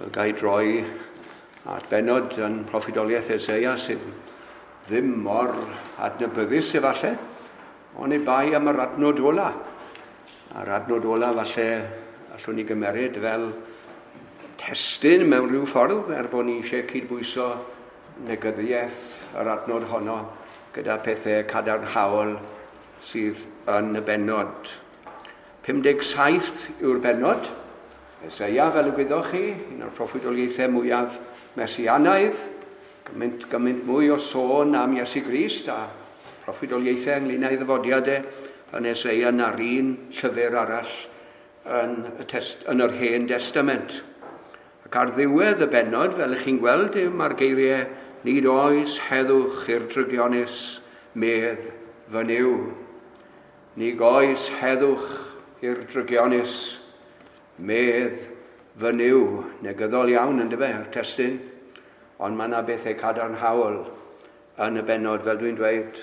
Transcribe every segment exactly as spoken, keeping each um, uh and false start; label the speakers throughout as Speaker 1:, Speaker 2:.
Speaker 1: Fel gai droi at bennod yn proffwydoliaeth Eseia sydd ddim mor adnabyddus efallai, ond i bai am yr adnod ola. A'r adnod ola falle allwn ni gymeryd fel testun mewn rhyw ffordd, er bod ni eisiau cydbwyso negyddiaeth yr adnod honno gyda pethau cadarnhaol sydd yn y bennod. pum deg saith yw'r bennod. Eseia, fel y gwyddoch chi, un o'r proffwydoliaethau mwyaf mesianaidd, gymaint, gymaint mwy o sôn am Iesu Grist a proffwydoliaethau ynglyn â'i ddyfodiadau yn Eseia na'r un llyfr arall yn, y test, yn yr Hen Testament. Ac ar ddiwedd y bennod, fel ych chi'n gweld, mae'r geiriau nid oes heddwch i'r drygionus medd fy Nuw. Nid oes heddwch i'r drygionus medd fy Nuw. Negyddol iawn yn dyfe, yr testun, ond mae yna bethau cadarnhaol yn y bennod, fel dwi'n dweud.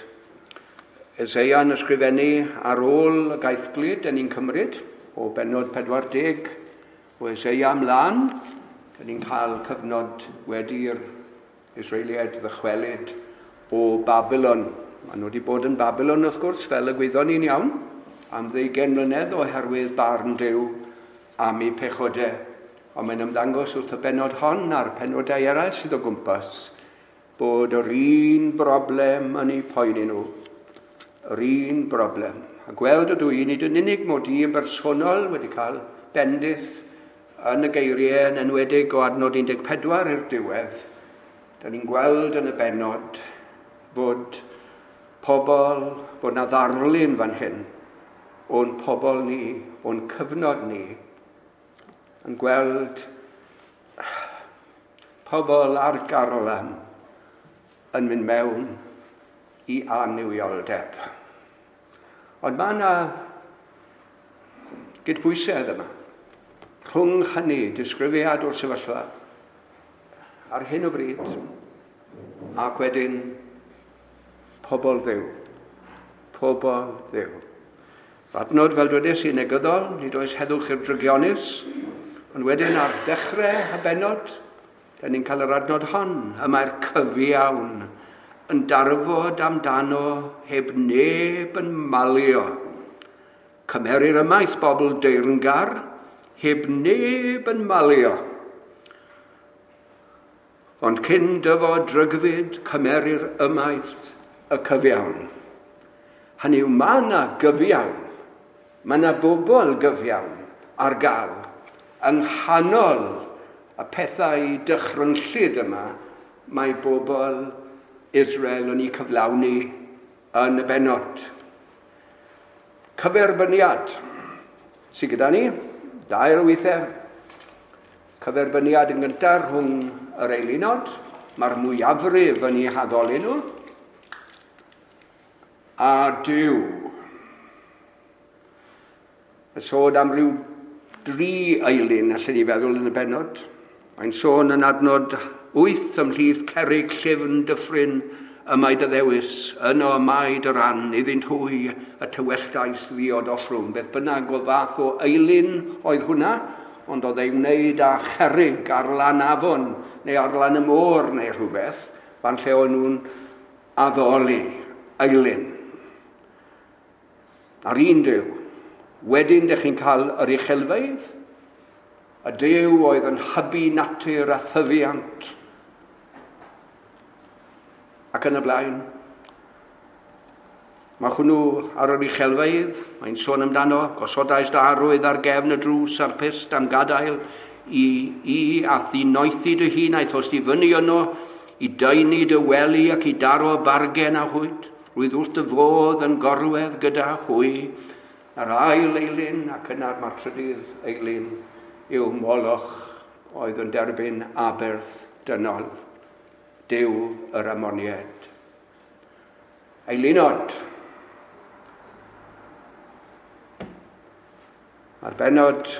Speaker 1: Eseia yn ysgrifennu ar ôl y gaethglud, dyn ni'n cymryd, o bennod pedwar deg o Eseia ymlaen, dyn ni'n cael cyfnod wedi'r Israeliaid ddychwelyd o Babylon. Maen nhw wedi bod yn Babylon, wrth gwrs, fel y gwyddon ni'n iawn, am ddeugain mlynedd oherwydd barn Duw am eu pechodau. Ond mae'n ymddangos wrth y bennod hon a'r penodau eraill sydd o gwmpas bod yr un broblem yn eu poeni nhw. Yr un broblem. A gweld ydw i, nid yn unig mod i yn bersonol wedi cael bendith yn y geiriau yn enwedig o adnod un deg pedwar i'r diwedd, da ni'n gweld yn y bennod bod pobl, bod na ddarlun fan hyn o'n pobl ni, o'n cyfnod ni, yn gweld pobl ar garlam yn mynd mewn i annuwioldeb. Ond mae yna gydbwysedd yma. Rhwng hynny, disgrifiad o'r sefyllfa ar hyn o bryd, ac wedyn pobl Dduw. Pobl Dduw. Adnod, fel dwedais i, negyddol, nid oes heddwch i'r drygionus, ond wedyn ar dechrau y bennod, da ni'n cael yr adnod hon, y mae'r cyfiawn yn darfod amdano heb neb yn malio. Cymerir ymaith bobl deyrngar heb neb yn malio. Ond cyn dyfod drygfyd, cymerir ymaith y cyfiawn. Hynny yw, mae yna gyfiawn, mae yna bobl gyfiawn ar gael yng nghanol y pethau dychrynllyd yma, mae bobl Israel yn eu cyflawni yn y bennod. Cyferbyniad sydd gyda ni, dair o weithiau. Cyferbyniad yn gyntaf rhwng yr eilunod, mae'r mwyafrif yn eu haddoli nhw, a Duw. Y sôn am ryw dri eilun, allan ni feddwl yn y bennod. Mae'n sôn yn adnod wyth ymhlith cerrig llyfn dyffryn y mae dy ddewis, yno y mae dy ran, iddynt hwy y tywelltais ddiod offrwm. Beth bynnag o fath o eilun oedd hwnna, ond oedd ei wneud â cherrig ar lan afon neu ar lan y môr neu rhywbeth, fan lle o'n nhw'n addoli eilun. A'r un Duw. Wedyn, dych chi'n cael yr uchelfeydd, y Duw oedd yn hybu natur a thyfiant, ac yn y blaen. Mae hwnnw ar yr uchelfeydd, mae'n sôn amdano, gosodais dy arwydd ar gefn y drws a'r pyst am gadael i, i a ddinoethi dy hun, aethost i fyny yno, i daenu dy wely ac i daro bargen â hwyt, rwydd wrth dy fodd yn gorwedd gyda hwy. Yr ail eilun ac yna'r mae'r trydydd eilun yw Moloch oedd yn derbyn aberth dynol, Duw yr Amoniaid. Eilunod. Mae'r bennod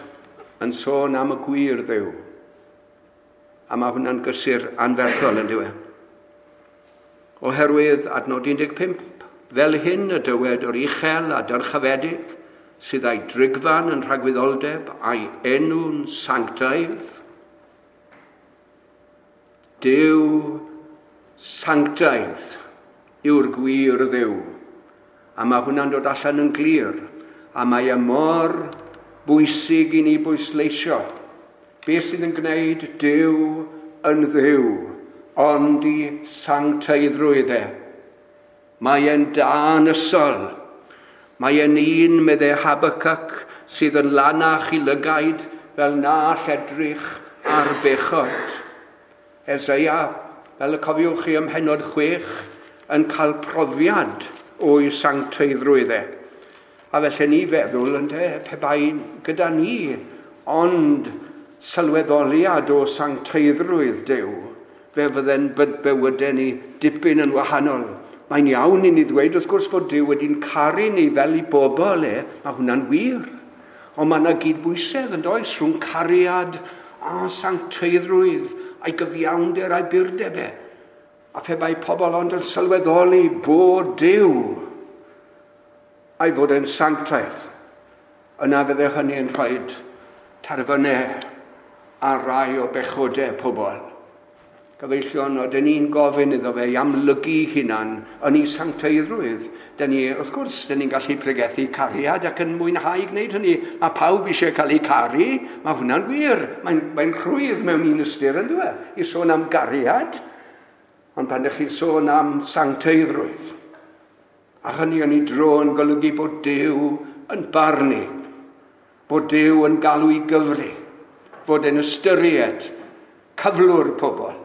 Speaker 1: yn sôn am y gwir Dduw, a mae hwnna'n gysur anferthol yn dyw e. Oherwydd adnod un deg pump, fel hyn y dywed yr uchel a dyrchafedig, sydd â'i drigfan yn rhagwyddoldeb a'i enw'n sanctaidd. Duw sanctaidd yw'r gwir Dduw. A mae hwnna'n dod allan yn glir. A mae e mor bwysig i ni bwysleisio. Beth sydd yn gwneud Duw yn Dduw, ond i sancteiddrwydd e. Mae e'n danysol. Mae e'n un, meddai Habacuc, sydd yn lanach i lygaid fel na all edrych ar bechod. Eseia, fel y cofiwch chi ym mhennod chwech, yn cael profiad o'i sancteiddrwydd e. A felly ni feddwl, ynte, pe bai gyda ni, ond sylweddoliad o sancteiddrwydd Duw, fe fydde'n bywydau ni dipyn yn wahanol. Mae'n iawn i ni ddweud, wrth gwrs, bod Duw wedi'n caru ni fel i bobl e, mae hwnna'n wir. Ond mae yna gydbwysedd yn does rhwng cariad a sancteiddrwydd a'i gyfiawnder a'i burdeb e. A phe bai pobl ond yn sylweddoli bod Duw a'i fod yn sanctaidd, yna fydde hynny yn rhoi terfynau ar rai o bechodau pobl. Gyfeillion, oedden ni'n gofyn iddo fe i amlygu hunan yn ei sancteiddrwydd. Dyn ni, wrth gwrs, dyn ni'n gallu pregethu cariad ac yn mwynhau gwneud hynny. Mae pawb eisiau cael eu caru, mae hwnna'n wir. Mae'n mae rhwydd mewn un ystyr yn dweud, i sôn am gariad. Ond pan ydych chi'n sôn am sancteiddrwydd, a hynny yn ei dro yn golygu bod Duw yn barnu, bod Duw yn galw i gyfri, fod yn ystyried cyflwr pobl,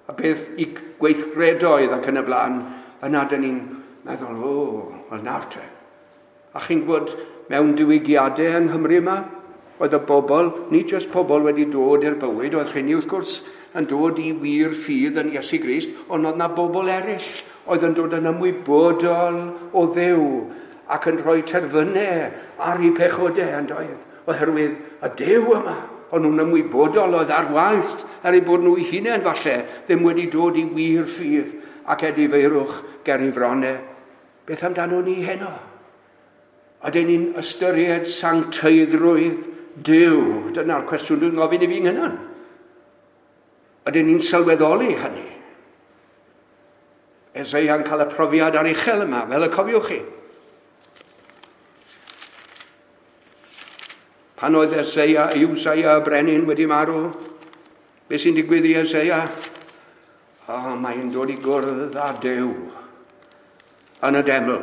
Speaker 1: a beth i gweithredoedd ac yn y blaen, yna dyn ni'n meddwl, o, wel nawr te. A chi'n gwybod, mewn diwygiadau yng Nghymru yma, oedd y bobl, nid jyst pobl wedi dod i'r bywyd, oedd rheini wrth gwrs yn dod i wir ffydd yn Iesu Grist, ond oedd na bobl eraill oedd yn dod yn ymwybodol o Dduw ac yn rhoi terfynau ar eu pechodau yn doedd, oherwydd y Duw yma. O'n nhw'n ymwybodol oedd ar waith, er eu bod nhw eu hunain falle, ddim wedi dod i wir ffydd ac edifeirwch ger ei fronau. Beth amdano ni heno? Ydyn ni'n ystyried sancteiddrwydd Duw? Dyna'r cwestiwn dwi'n gofyn i fi'n hunan. Ydyn ni'n sylweddoli hynny? Eseia'n cael y profiad aruchel yma, fel y cofiwch chi. Pan oedd Eseia, Iwsaia y brenin wedi marw, beth sy'n digwydd i Eseia? O, mae'n dod i gwrdd â Duw yn y deml.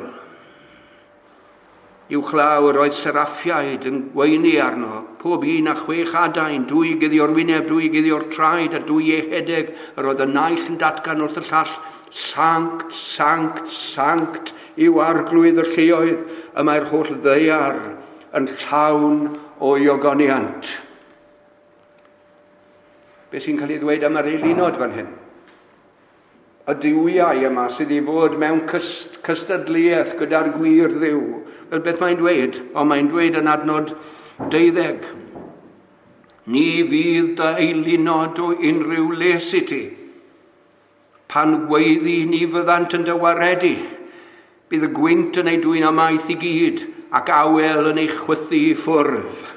Speaker 1: Uwchlaw yr oedd seraffiaid yn gweini arno, pob un a chwech adain, dwy guddio'r wyneb, dwy guddio'r traed a dwy ehedeg. Yr oedd y naill yn datgan wrth y llall, sanct, sanct, sanct yw arglwydd y lluoedd, y mae'r holl ddaear yn llawn o'i ogoniant. Be sy'n cael ei ddweud am yr eilunod fan hyn? Y duwiau yma sydd i fod mewn cystadleuaeth gyda'r gwir Dduw. Wel, beth mae'n dweud? O, mae'n dweud yn adnod deuddeg. Ni fydd dy eilunod o unrhyw les i ti. Pan weiddi ni fyddant yn dy waredu. Bydd y gwynt yn ei dwyn ymaith i gyd ac awel yn ei chwythu i ffwrdd.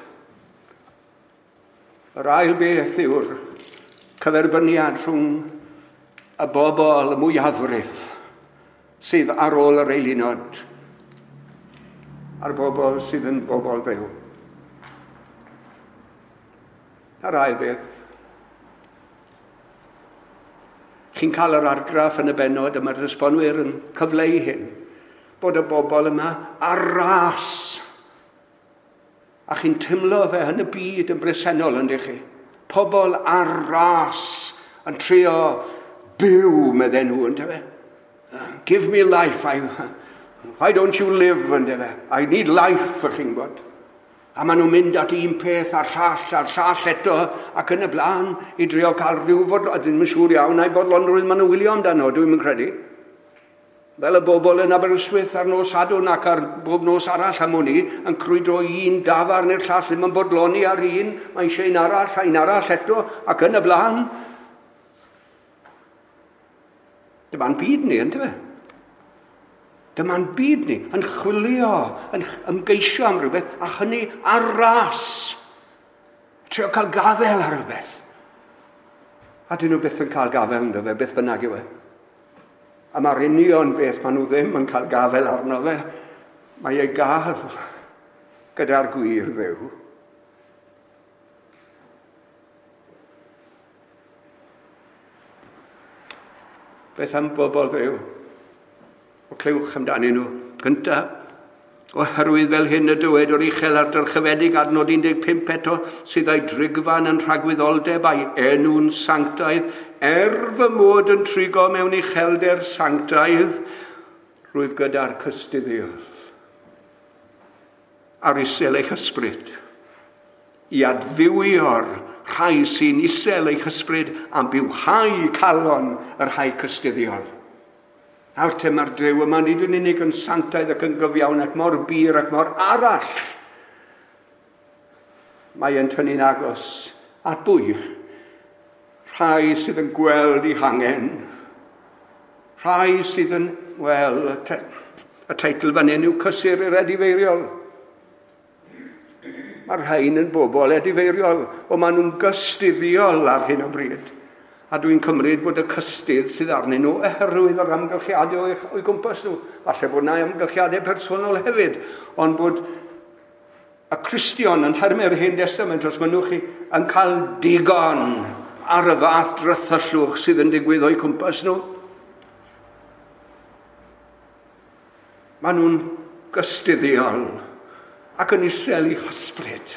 Speaker 1: Yr ail beth yw'r cyferbyniad rhwng y bobl y mwyafrif sydd ar ôl yr eilunod a'r bobl sydd yn bobl Dduw. A'r ail beth, chi'n cael yr argraff yn y bennod y mae'r esbonwyr yn cyfleu hyn, bod y bobl yma ar ras. A chi'n teimlo fe yn y byd yn bresennol, yndych chi? Pobl ar ras yn trio byw, medden nhw, ynddo fe? Give me life, I, why don't you live, ynddo fe? I need life, ych chi'n gwybod. A maen nhw'n mynd at un peth a'r llall a'r llall eto ac yn y blaen i drio cael rhyw fod, a dwi'n siŵr iawn a'i bodlonrwydd maen nhw'n wylio amdano, dwi'n mynd credu. Fel y bobl yn Aberystwyth ar nos Sadwrn ac ar bob nos arall am wn i, yn crwydro un dafarn i'r llall, ddim yn bodloni ar un, mae eisiau un arall a un arall eto ac yn y blaen. Dyma'n byd ni, yndyfe? Dyma'n byd ni, yn chwilio, yn ymgeisio am rhywbeth, a hynny ar ras. Trio cael gafel ar rhywbeth. A dyn nhw byth yn cael gafel ynddo fe, beth bynnag yw e. A mae'r union beth maen nhw ddim yn cael gafel arno fe, mae ei gael gyda'r gwir Dduw. Beth am bobl Dduw? O clywch amdanyn nhw. Gynta, oherwydd fel hyn y dywed o'r uchel a'r dyrchafedig adnod un deg pump eto, sydd â'i drigfan yn rhagwyddoldeb a'i enw'n sanctaidd, er fy mod yn trigo mewn uchelder sanctaidd, rwyf gyda'r cystuddiol a'r isel eich ysbryd, i adfywio'r rhai sy'n isel eich ysbryd a bywhau calon y rhai cystuddiol. Nawr te mae'r Duw yma nid yn unig yn sanctaidd ac yn gyfiawn ac mor bur ac mor arall. Mae e'n tynnu'n agos at bwy? Rhai sydd yn gweld eu hangen. Rhai sydd yn, wel, y, te, y teitl fan hyn yw Cysur i'r Edifeiriol. Mae'r rhain yn bobl edifeiriol, o maen nhw'n gystuddiol ar hyn o bryd. A dwi'n cymryd bod y cystudd sydd arnyn nhw oherwydd yr amgylchiadau o'i, o'i gwmpas nhw. Falle bod yna amgylchiadau personol hefyd, ond bod y Cristion yn nhermau'r Hen Testament, os mynnwch chi, yn cael digon ar y fath drythyllwch sydd yn digwydd o'i cwmpas nhw. Maen nhw'n gystuddiol ac yn isel eu hysbryd.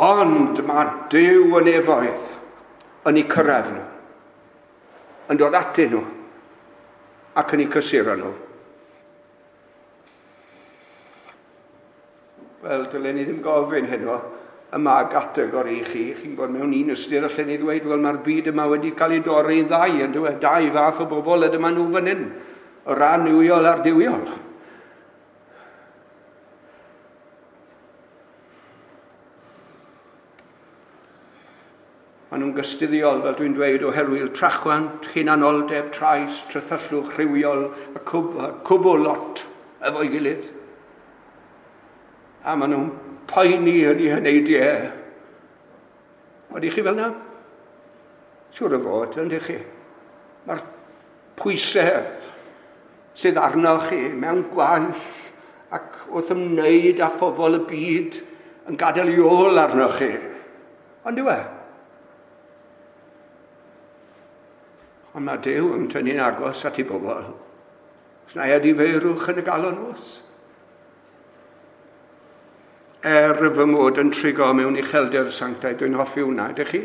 Speaker 1: Ond mae Duw yn efoedd yn eu cyrraedd nhw, yn dod atyn nhw ac yn eu cysuro nhw. Wel, dylen ni ddim gofyn heno yma gategori i chi. Chi'n gwybod mewn un ystyr allen ni ddweud, wel, mae'r byd yma wedi cael ei dorri yn ddau, yn dweud, dau fath o bobl, a dyma nhw fan hyn, y ran annuwiol a'r duwiol. Maen nhw'n gystuddiol, fel dwi'n dweud, oherwydd trachwant, hunanoldeb, trais, trythyllwch, rhywiol, y cwb, y cwbl lot efo'i gilydd. A maen nhw'n poeni yn eu heneidiau. Ydych chi fel yna? Siŵr o fod, ydych chi? Mae'r pwysau sydd arnoch chi mewn gwaith ac wrth ymwneud â phobl y byd yn gadael ei ôl arnoch chi. Ond yw e? Ond mae Duw yn tynnu'n agos at ei bobl. Os na edifeirwch yn y galon oes. Er fy mod yn trigo mewn uchelder sanctaidd, dwi'n hoffi hwnna, ydych chi?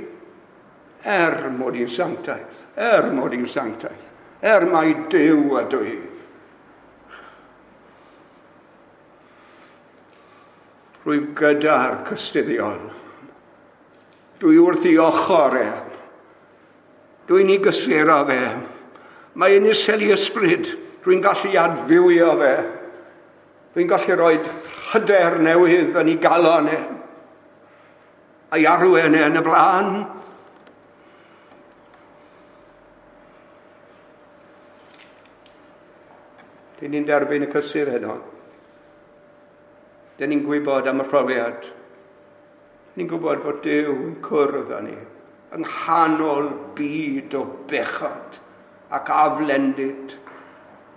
Speaker 1: Er mod i'n sanctaidd, er mod i'n sanctaidd, er mai Duw ydw i. Rwyf gyda'r cystuddiol. Dwi wrth ei ochr e. Dwi'n ei gysuro fe. Mae yn isel ei ysbryd. Dwi'n gallu adfywio fe. Dwi'n gallu rhoi hyder newydd yn ei galon e. A'i arwain e yn y blaen. Dyn ni'n derbyn y cysur heno. Dyn ni'n gwybod am y profiad. Ni'n gwybod fod Duw yn cwrdd â ni yng nghanol byd o bechod ac aflendid.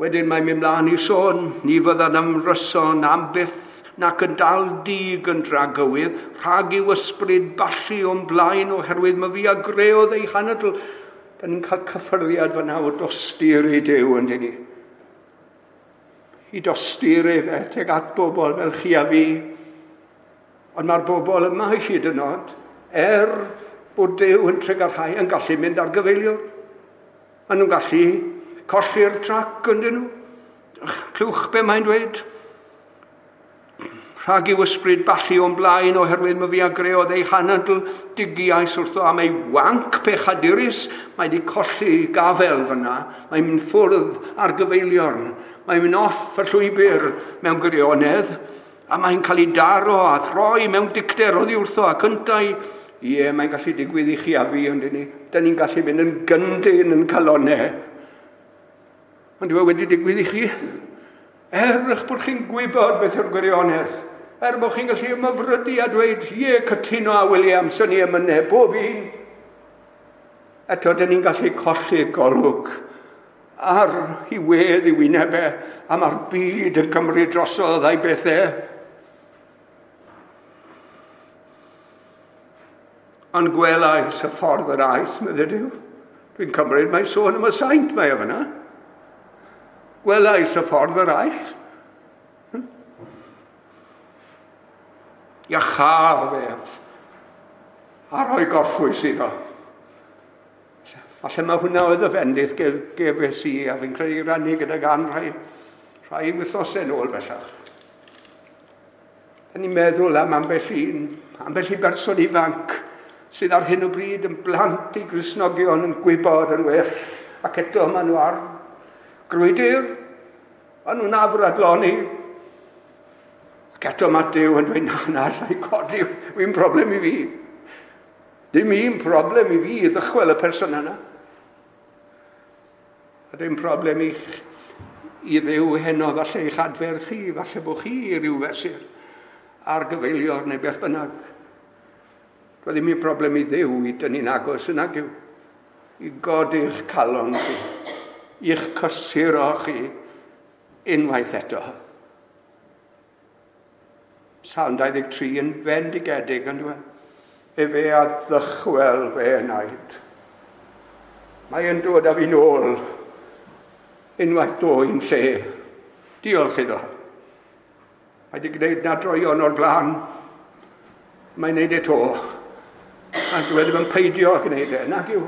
Speaker 1: Wedyn mae'n mynd mlaen i sôn, ni fyddan ymryson am byth nac yn dal dig yn dragywydd, rhag i'w ysbryd ballu o'n blaen oherwydd mae fi a greodd ei hanadl. Da ni'n cael cyffyrddiad fan o dosturi Duw yn dyn ni. I dosturi fe tuag at bobl fel chi a fi. Ond mae'r bobl yma hyd yn oed, er bod Duw yn trugarhau, yn gallu mynd ar gyfeiliwr. Maen nhw'n gallu colli'r trac yn dyn nhw. Clywch be mae'n dweud. Rhag i'w ysbryd ballu o'n blaen oherwydd mae fi a greodd ei hanadl, digiais wrtho am ei wanc pechadurus. Mae wedi colli gafel fyna. Mae'n mynd ffwrdd ar gyfeiliorn. Mae'n mynd off y llwybr mewn gwirionedd. A mae'n cael ei daro a throi mewn dicter oddi wrtho ac yntau. Ie, mae'n gallu digwydd i chi a fi, ond ni. Da ni'n gallu mynd yn gyndyn yn calonau. Ond yw e wedi digwydd i chi? Er eich bod chi'n gwybod beth yw'r gwirionedd, er bod chi'n gallu ymhyfrydu a dweud, ie, cytuno â Williams yn ei emynau, bob un. Eto, dyn ni'n gallu colli golwg ar ei wedd i wyneb e, a mae'r byd yn cymryd drosodd a'i bethau. Ond gwelais y ffordd yr aeth, meddai Duw. Dwi'n cymryd mae sôn am y saint mae o fyna. Gwelais y ffordd yr aeth. Iachaf ef a rhoi gorffwys iddo. Falle mae hwnna oedd y fendith gefes i, a fi'n credu rannu gyda gan rhai, rhai wythnosau nôl bellach. Da ni'n meddwl am ambell un, ambell i berson ifanc sydd ar hyn o bryd yn blant i Gristnogion yn gwybod yn well, ac eto maen nhw ar grwydr, maen nhw'n afradloni. Ac eto mae Duw yn dweud, na, na, allai codi, wy'n problem i fi. Dim un problem i fi i ddychwel y person yna. A dim problem i, i Dduw heno, falle i'ch adfer chi, falle bod chi i ryw fesur ar gyfeilior neu beth bynnag. Doedd ddim un problem i Dduw i dynnu'n agos yn ag yw. I godi'ch calon chi, i'ch cysuro chi unwaith eto. Salm dau ddeg tri yn fendigedig yn dweud. Efe a ddychwel fe enaid. Mae yn dod â fi nôl unwaith dwy'n lle. Diolch iddo. Mae wedi gwneud na droion o'r blaen. Mae'n gwneud e to. A dwi ddim yn peidio gwneud e, nag yw.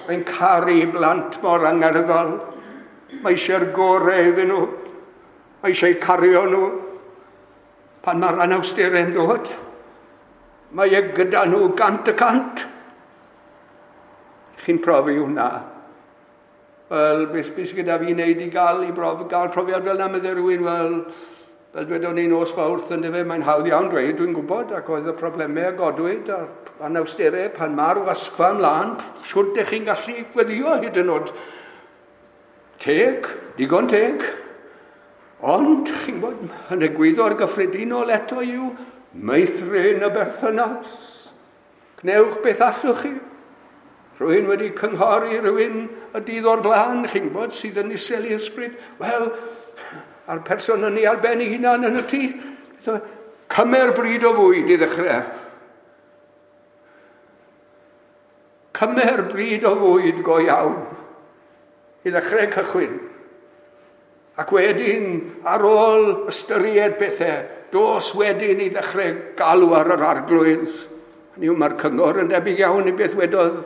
Speaker 1: Mae'n caru blant mor angerddol. Mae eisiau'r gorau iddyn nhw. Mae eisiau cario nhw. Pan mae'r anawsterau'n dod, mae e gyda nhw gant y cant. Chi'n profi hwnna. Wel, beth, beth sydd gyda fi wneud i gael, i brof, gael profiad fel na, meddai rhywun, wel, fel dwedon ni nos Fawrth, yn dyfe, mae'n hawdd iawn dweud, dwi'n gwybod, ac oedd y problemau a godwyd a'r anawsterau pan mae'r wasgfa ymlaen, siwr dych chi'n gallu gweddio hyd yn oed. Teg, digon teg, ond, chi'n gwybod, yn egwyddor gyffredinol eto yw meithrin y berthynas. Gwnewch beth allwch chi. Rhywun wedi cynghori rhywun y dydd o'r blaen, chi'n gwybod, sydd yn isel i ysbryd. Wel, a'r person yn ei ar ben ei hunan yn y tŷ. Cymer bryd o fwyd i ddechrau. Cymer bryd o fwyd go iawn i ddechrau cychwyn. Ac wedyn, ar ôl ystyried pethau, dos wedyn i ddechrau galw ar yr arglwydd. Hynny yw, mae'r cyngor yn debyg iawn i beth wedodd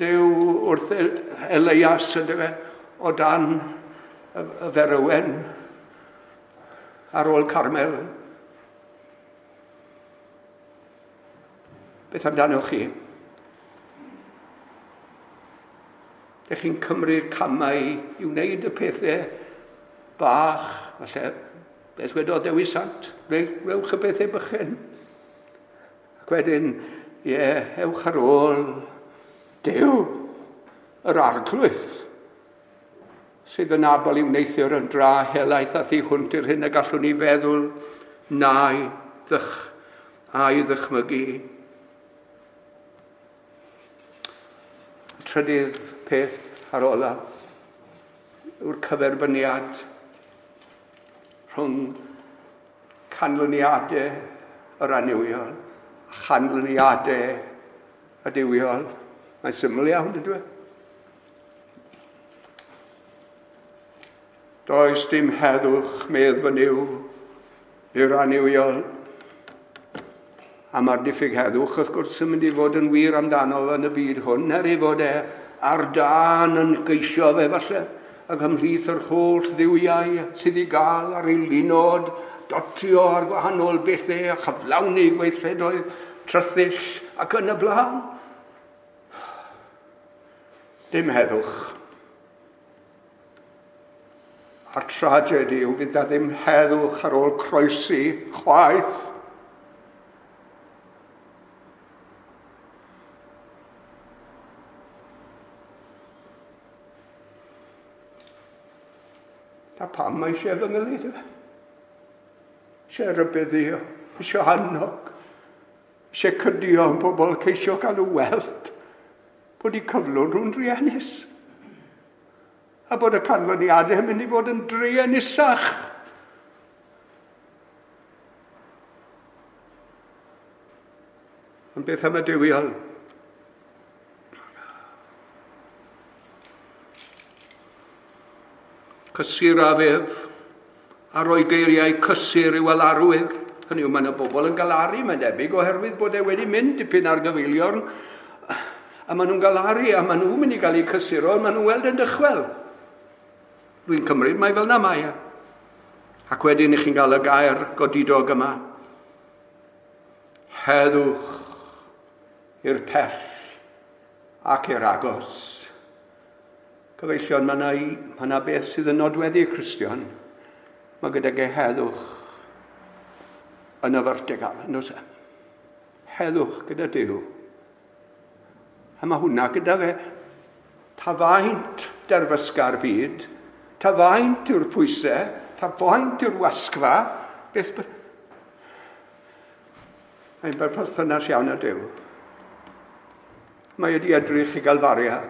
Speaker 1: Duw wrth Elias, yndyfe, o dan y, y ferywen ar ôl Carmel. Beth amdanoch chi? Dych chi'n cymryd camau i wneud y pethau bach, falle, beth wedodd Dewi Sant, gwnewch y pethau bychan. Ac wedyn, ie, ewch ar ôl Duw, yr arglwydd, sydd yn abl i wneuthur yn dra helaeth a thu hwnt i'r hyn y gallwn ni feddwl na'i ddych, a'i ddychmygu. Trydydd peth ar ola yw'r cyferbyniad rhwng canlyniadau yr annuwiol a chanlyniadau y duwiol. Mae'n syml iawn, dydw i? Does dim heddwch, medd fy Nuw, i'r annuwiol. A mae'r diffyg heddwch, wrth gwrs, yn mynd i fod yn wir amdano yn y byd hwn, er ei fod e ar dân yn geisio fe falle, ac ymhlith yr holl dduwiau sydd i gael ar ei linod, dotio ar gwahanol bethau a chyflawni gweithredoedd trythyll ac yn y blaen. Dim heddwch. A'r tragedy yw fydd na ddim heddwch ar ôl croesi chwaith. Na pam mae eisiau fy nghyllid? Eisiau rybuddio, eisiau annog, eisiau cydio yn bobl, ceisio gael nhw weld Bod eu cyflwr nhw'n druenus. A bod y canlyniadau yn mynd i fod yn druenusach. Ond beth am y duwiol? Cysur a fef, a roi geiriau cysur i'w alarwyr. Hynny yw, mae yna bobl yn galaru, mae'n debyg, oherwydd bod e wedi mynd dipyn ar gyfeiliorn. A maen nhw'n galaru, a maen nhw'n mynd i gael eu cysuro, a maen nhw'n weld yn dychwel. Dwi'n cymryd mai fel na mae e. Ac wedyn i chi'n cael y gair godidog yma. Heddwch i'r pell ac i'r agos. Cyfeillion, mae yna, mae yna beth sydd yn nodweddu y Cristion. Mae gydag e heddwch yn y vertical, yn oes e? Heddwch gyda Duw. A mae hwnna gyda fe. Ta faint derfysga'r byd, ta faint yw'r pwysau, ta faint yw'r wasgfa, beth... Mae'n berthynas iawn â Duw. Mae wedi edrych i Galfaria,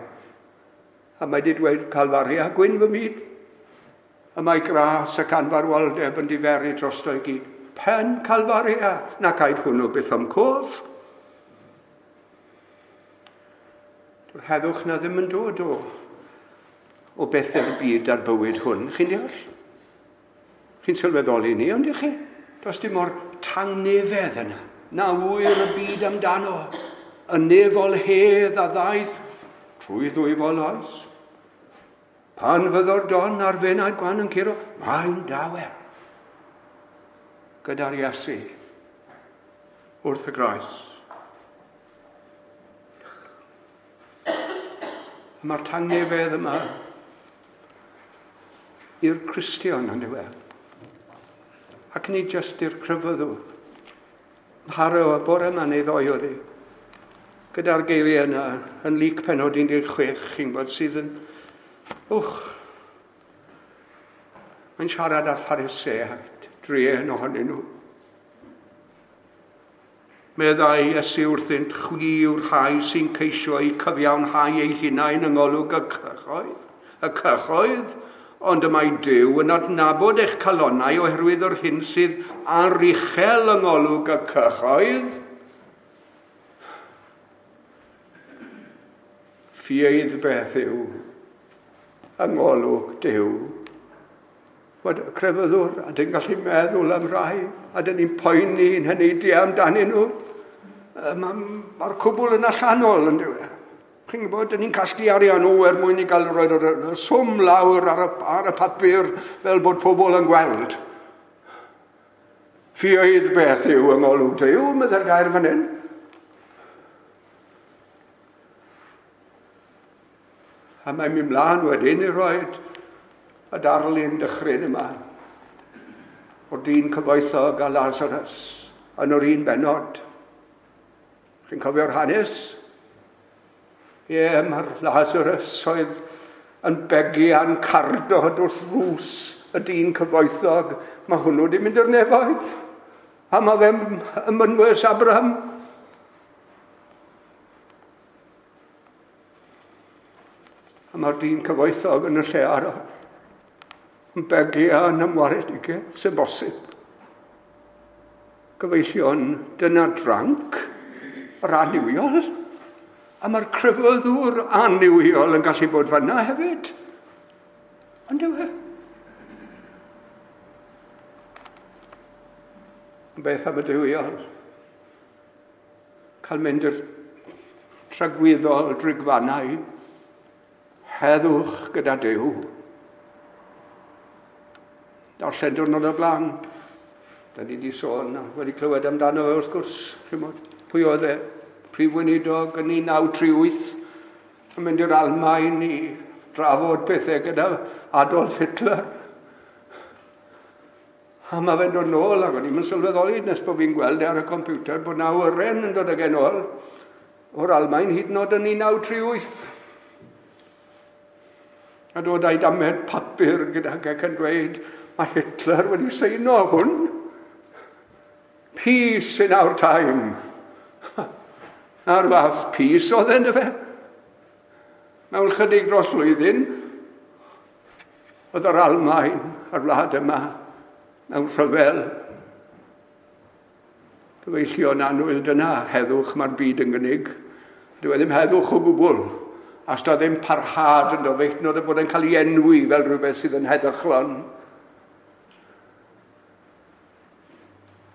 Speaker 1: a mae wedi dweud Calfaria, gwyn fy myd. A mae gras ac anfarwoldeb yn diferu drosto i gyd. Pen Calfaria, na caid hwnnw byth am cof. Dyw'r heddwch na ddim yn dod o, o bethau'r byd a'r bywyd hwn. Chi'n deall? Chi'n sylweddoli ni, ond ych chi? Does dim o'r tangnefedd yna. Na ŵyr y byd amdano. Y nefol hedd a ddaeth trwy ddwyfol oes. Pan fyddo'r don a'r fenad gwan yn curo, mae'n dawel. Gyda'r Iesu wrth y groes. Mae'r tangnefedd yma i'r Cristion yn diwedd. Ac nid jyst i'r crefyddwr. Nharo y bore yma neu ddoe oedd hi. Gyda'r geiriau yna yn Luc pennod un deg chwech, chi'n gwybod, sydd yn... Wch! Mae'n siarad â Phariseaid, druan ohonyn nhw. Meddai Iesu wrthynt, chwi yw'r rhai sy'n ceisio eu cyfiawnhau eu hunain yng ngolwg y cyhoedd, y cyhoedd, ond y mae Duw yn adnabod eich calonnau oherwydd yr hyn sydd aruchel yng ngolwg y cyhoedd. Ffieidd beth yw yng ngolwg Duw. Bod y crefyddwr, a dyn gallu meddwl am rai, a dyn ni'n poeni yn heneidiau amdanyn nhw. Mae'r ma cwbl yn allanol, yn dyw e. Chi'n gwybod, dyn ni'n casglu arian o er mwyn i gael roed y swm lawr ar y, ar y papur fel bod pobl yn gweld. Ffioedd beth yw yng ngolwg Duw, meddai'r gair fan hyn. A mae'n mynd mlaen wedyn i roed y darlun dychryn yma o'r dyn cyfoethog a Lazarus yn yr un bennod. Chi'n cofio'r hanes? Ie, mae'r Lazarus oedd yn begian cardod wrth ddrws y dyn cyfoethog. Mae hwnnw wedi mynd i'r nefoedd. A mae fe'n ym mynwes Abraham. A mae'r dyn cyfoethog yn y lle arall. Yn begian am waredigaeth sy'n bosib. Gyfeillion, dyna dranc, yr annuwiol. A mae'r crefyddwr annuwiol yn gallu bod fanna hefyd. Ond yw e? Beth am y duwiol? Cael mynd i'r tragwyddol drigfannau, heddwch gyda Duw. Darllen diwrnod o'r blaen. Da ni wedi sôn, wedi clywed amdano fe wrth gwrs. Pwy oedd e? Prif Weinidog yn un naw tri wyth yn mynd i'r Almaen i drafod pethau gyda Adolf Hitler. A mae fe'n dod nôl, ac o'n i'n sylweddoli nes bod fi'n gweld ar y computer bod na awyren yn dod ag e nôl o'r Almaen hyd yn oed yn un naw tri wyth. A dod â'i damed papur gydag ac yn dweud, mae Hitler wedi seino hwn. Peace in our time. A'r fath peace oedd e, fe. Mewn chydig dros flwyddyn, oedd yr Almaen a'r wlad yma mewn rhyfel. Gyfeillion annwyl, dyna heddwch mae'r byd yn gynnig. Dyw e ddim heddwch o gwbl. A os da ddim parhad ynddo fe, hyd yn oed bod e'n cael ei enwi fel rhywbeth sydd yn heddychlon.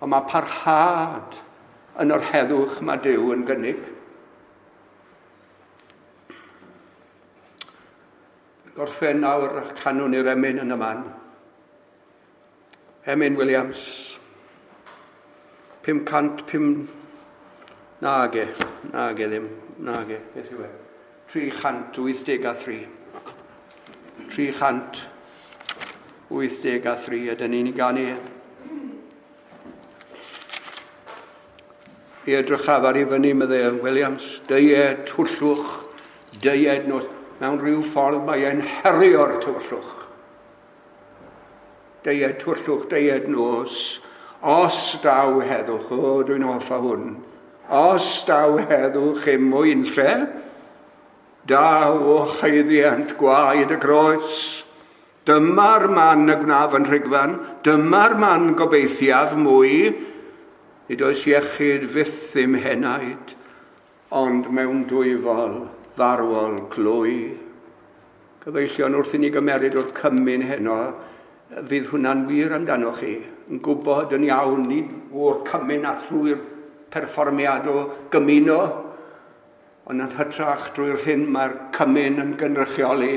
Speaker 1: Ond mae parhad yn yr heddwch mae Duw yn gynnig. Gorffen nawr canwn i'r emyn yn y man. Emyn Williams. pum cant pum... Nage, nage ddim, nage, beth yw e? tri chant wyth deg a thri. tri chant wyth deg a thri, ydyn ni'n ei ganu. I edrychaf ar i fyny, meddai Williams, deued twllwch, deued nos. Mewn rhyw ffordd mae e'n herio'r tywyllwch. Deued twllwch, deued nos. Os daw heddwch, o, dwi'n hoffa hwn. Os daw heddwch im mwyn lle, daw o haeddiant gwaed y groes. Dyma'r man y gwnaf yn rhigfan, dyma'r man gobeithiaf mwy. Nid oes iechyd fyth im henaid, ond mewn dwyfol farwol glwy. Gyfeillion, wrth i ni gymeryd o'r cymun heno, fydd hwnna'n wir amdanoch chi, yn gwybod yn iawn, nid o'r cymun a thrwy'r perfformiad o gymuno, ond yn hytrach drwy'r hyn mae'r cymun yn gynrychioli,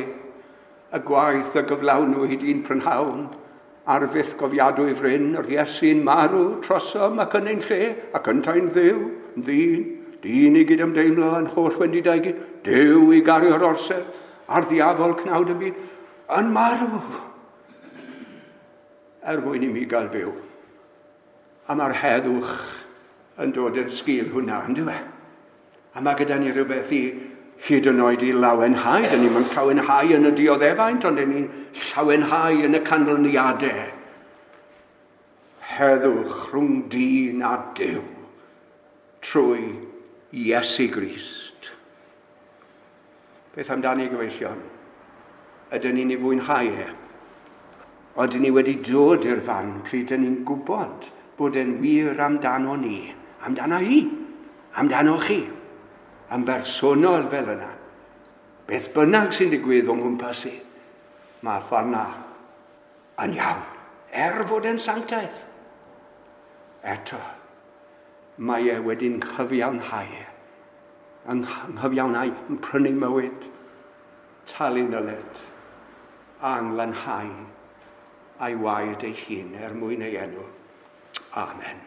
Speaker 1: y gwaith y gyflawnwyd un prynhawn, ar fyth gofiadwy fryn, yr Iesu'n marw trosom ac yn ein lle, ac yntau'n ddiw, yn ddyn, dyn i gydymdeimlo yn holl wendidau gyd, Duw i gario'r orsedd, a'r ddiafol cnawd y byd, yn marw, er mwyn i mi gael byw. A mae'r heddwch yn dod yn sgil hwnna, yn dyw e? A mae gyda ni rhywbeth i hyd yn oed i lawenhau. Dyn ni'n llawenhau yn y dioddefaint, ond dyn ni'n llawenhau yn y canlyniadau. Heddwch rhwng dyn a Duw trwy Iesu Grist. Beth amdani, gyfeillion? Ydyn ni'n ei fwynhau e? Oedden ni wedi dod i'r fan pryd dyn ni'n gwybod bod e'n wir amdano ni, amdano i, amdano chi, yn bersonol fel yna. Beth bynnag sy'n digwydd o'n gwmpas i, mae ffordd na yn iawn, er fod e'n sanctaidd. Eto, mae e wedi'n nghyfiawnhau, yng nghyfiawnhau, yn prynu mywyd, talu nyled, a'n lanhau a'i waed ei hun er mwyn ei enw. Amen.